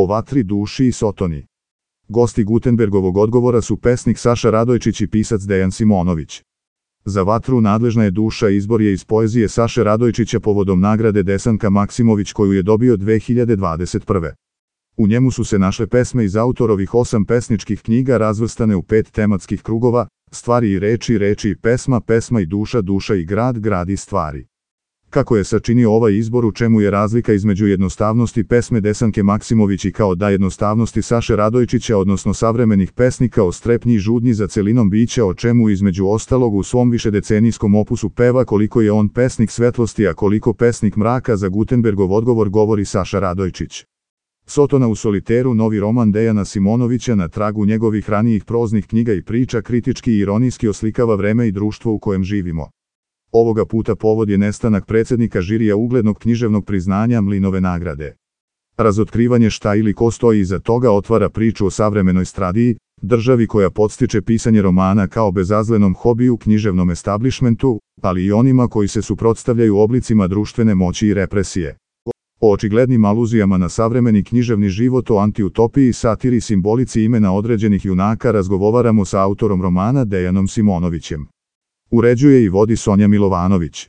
O vatri, duši i Sotoni. Gosti Gutenbergovog odgovora su pesnik Saša Radojčić i pisac Dejan Simonović. Za vatru nadležna je duša izbor je iz poezije Saše Radojčića povodom nagrade Desanka Maksimović koju je dobio 2021. U njemu su se našle pesme iz autorovih 8 pesničkih knjiga razvrstane u 5 tematskih krugova: stvari i reči, reči i pesma, pesma i duša, duša i grad, grad i stvari. Kako je sačinio ovaj izbor, u čemu je razlika između jednostavnosti pesme Desanke Maksimović i kao da jednostavnosti Saše Radojčića, odnosno savremenih pesnika o strepnji i žudnji za celinom bića, o čemu između ostalog u svom višedecenijskom opusu peva koliko je on pesnik svetlosti, a koliko pesnik mraka. Za Gutenbergov odgovor govori Saša Radojčić. Sotona u soliteru, novi roman Dejana Simonovića, na tragu njegovih ranijih proznih knjiga i priča, kritički i ironijski oslikava vreme i društvo u kojem živimo. Ovoga puta povod je nestanak predsjednika žirija uglednog književnog priznanja Mlinove nagrade. Razotkrivanje šta ili ko stoji iza toga otvara priču o savremenoj stradiji, državi koja podstiče pisanje romana kao bezazlenom hobiju, književnom establišmentu, ali i onima koji se suprotstavljaju oblicima društvene moći i represije. O očiglednim aluzijama na savremeni književni život, o antiutopiji, satiri, simbolici imena određenih junaka razgovaramo sa autorom romana Dejanom Simonovićem. Uređuje i vodi Sonja Milovanović.